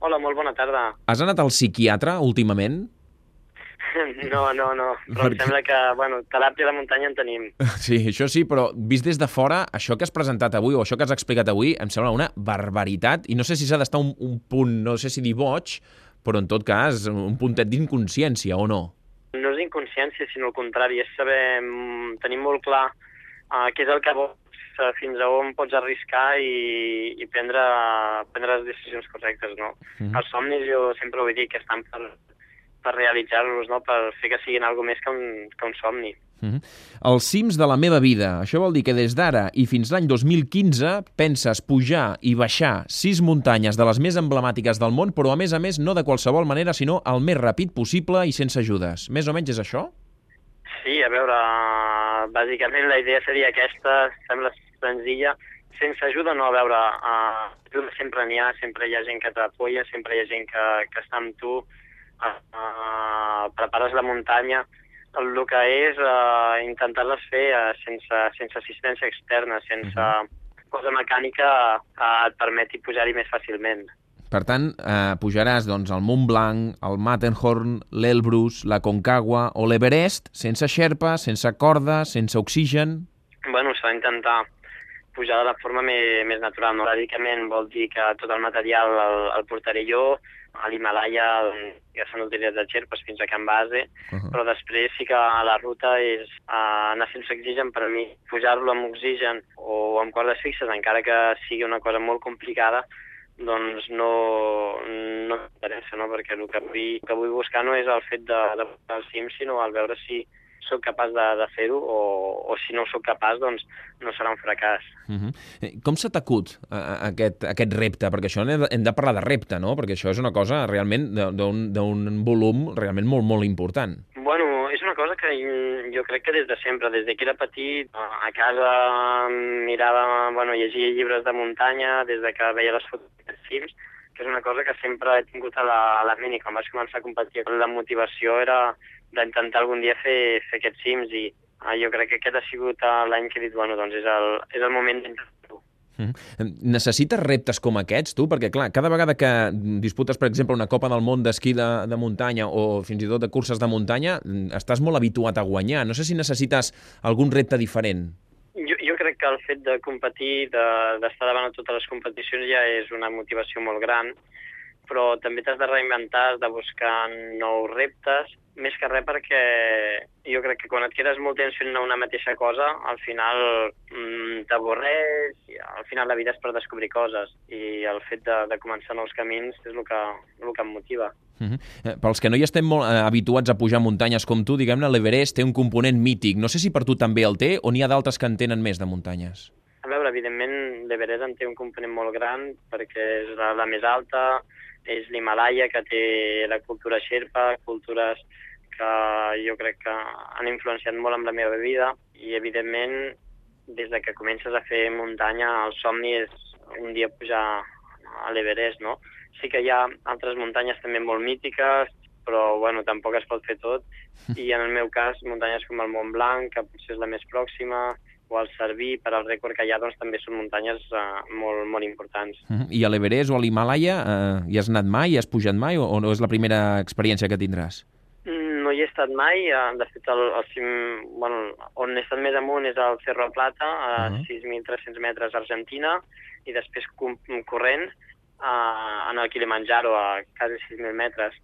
Hola, molt bona tarda. Has anat al psiquiatre últimament? No, però em sembla que, teràpia de muntanya en tenim. Sí, això sí, però vist des de fora, això que has presentat avui o això que has explicat avui em sembla una barbaritat i no sé si s'ha d'estar un punt, no sé si dir boig, però en tot cas un puntet d'inconsciència o no. No és inconsciència, sinó al contrari, és saber tenir molt clar què és el que vols, fins a on pots arriscar i prendre les decisions correctes, no? Els somnis jo sempre ho he dit que estan per realitzar-los, no? Per fer que siguin alguna més que un somni. Els cims de la meva vida. Això vol dir que des d'ara i fins l'any 2015 penses pujar i baixar 6 muntanyes de les més emblemàtiques del món, però a més no de qualsevol manera, sinó el més ràpid possible i sense ajudes. Més o menys és això? Sí, a veure, bàsicament la idea seria aquesta, sembla senzilla, sense ajuda no, a veure, ajuda sempre n'hi ha, sempre hi ha gent que t'apoya, sempre hi ha gent que està amb tu, prepares la muntanya, el que és intentar-les fer sense assistència externa, sense cosa mecànica et permeti pujar-hi més fàcilment. Per tant, pujaràs doncs, al Mont Blanc, al Matterhorn, l'Elbrus, la Concagua o l'Everest sense xerpa, sense corda, sense oxigen. Bueno, s'ha d'intentar pujar de la forma més natural. No? Bàsicament vol dir que tot el material el portaré jo, a l'Himalaya ja s'han utilitzat xerpes fins a Can Base, però després sí que a la ruta és anar sense oxigen per mi. Pujar-lo amb oxigen o amb cordes fixes, encara que sigui una cosa molt complicada, doncs no m'interessa, no? Perquè el que vull buscar no és el fet de pujar al cim, sinó el veure si sóc capaç de fer-ho o si no sóc capaç, doncs no serà un fracàs. Com s'ha t'acut aquest repte? Perquè això hem de parlar de repte, no? Perquè això és una cosa realment d'un volum realment molt, molt important. Bueno, és una cosa que jo crec que des de sempre, des que era petit, a casa mirava, llegia llibres de muntanya, des de que veia les fotos dels cims, que és una cosa que sempre he tingut a la ment, i quan vaig començar a competir la motivació era d'intentar algun dia fer aquests cims, i jo crec que aquest ha sigut l'any que he dit, doncs és el moment d'intentar-ho. Necessites reptes com aquests, tu? Perquè, clar, cada vegada que disputes, per exemple, una Copa del Món d'esquí de muntanya o fins i tot de curses de muntanya, estàs molt habituat a guanyar. No sé si necessites algun repte diferent. Jo crec que el fet de competir, d'estar davant de totes les competicions ja és una motivació molt gran, però també t'has de reinventar, has de buscar nous reptes, més que res perquè jo crec que quan et quedes molt temps fent una mateixa cosa, al final t'avorreix, i al final la vida és per descobrir coses, i el fet de començar nous camins és el que em motiva. Pels que no hi estem molt habituats a pujar muntanyes com tu, diguem-ne, l'Everest té un component mític. No sé si per tu també el té o n'hi ha d'altres que en tenen més de muntanyes. A veure, evidentment, l'Everest en té un component molt gran perquè és la més alta, és l'Himalaya, que té la cultura xerpa, cultures que jo crec que han influenciat molt en la meva vida, i evidentment des de que comences a fer muntanya el somni és un dia pujar a l'Everest, no? Sí que hi ha altres muntanyes també molt mítiques, però tampoc es pot fer tot, i en el meu cas muntanyes com el Mont Blanc, que potser és la més pròxima, o el Cerví, per al rècord que hi ha, doncs també són muntanyes molt, molt importants. I a l'Everest o a l'Himalaya hi has anat mai, hi has pujat mai, o no és la primera experiència que tindràs? No hi he estat mai, de fet el cim, on he estat més amunt és el Cerro Plata, a 6.300 metres a Argentina, i després corrent en el Kilimanjaro a quasi 6.000 metres.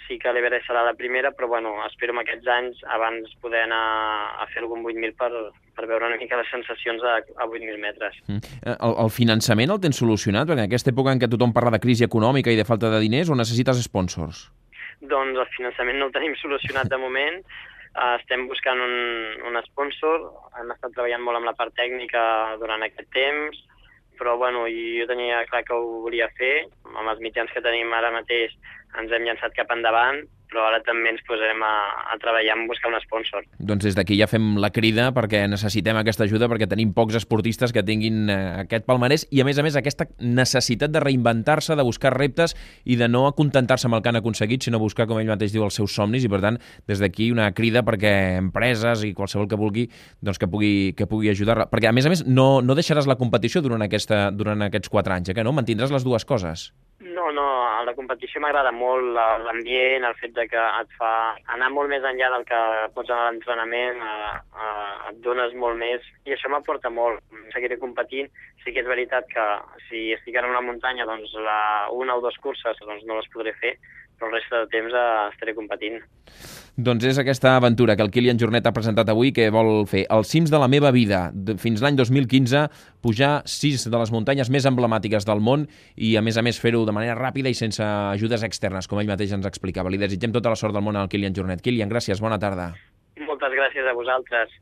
Sí que l'Everest serà la primera, però espero en aquests anys abans poder anar a fer algun 8.000 per veure una mica les sensacions a 8.000 metres. El finançament el tens solucionat? Perquè en aquesta època en què tothom parla de crisi econòmica i de falta de diners, o necessites sponsors? Doncs el finançament no el tenim solucionat de moment. Estem buscant un sponsor, hem estat treballant molt amb la part tècnica durant aquest temps, però jo tenia clar que ho volia fer. Amb els mitjans que tenim ara mateix ens hem llançat cap endavant, però ara també ens posarem a treballar en buscar un sponsor. Doncs des d'aquí ja fem la crida perquè necessitem aquesta ajuda, perquè tenim pocs esportistes que tinguin aquest palmarès i, a més, aquesta necessitat de reinventar-se, de buscar reptes i de no acontentar-se amb el que han aconseguit, sinó buscar, com ell mateix diu, els seus somnis, i, per tant, des d'aquí una crida perquè empreses i qualsevol que vulgui doncs que pugui ajudar-la. Perquè, a més, no deixaràs la competició durant aquests 4 anys, que no? Mantindràs les dues coses. No, no, a la competició m'agrada molt l'ambient, el fet de que et fa anar molt més enllà del que pots anar a l'entrenament, et dones molt més, i això m'aporta molt. Seguiré competint. Sí que és veritat que si estic en una muntanya, doncs una o dues curses doncs no les podré fer, però el reste del temps estaré competint. Doncs és aquesta aventura que el Kilian Jornet ha presentat avui, que vol fer els cims de la meva vida. Fins l'any 2015, pujar 6 de les muntanyes més emblemàtiques del món i, a més, fer-ho de manera ràpida i sense ajudes externes, com ell mateix ens explicava. Li desitgem tota la sort del món al Kilian Jornet. Kilian, gràcies, bona tarda. Moltes gràcies a vosaltres.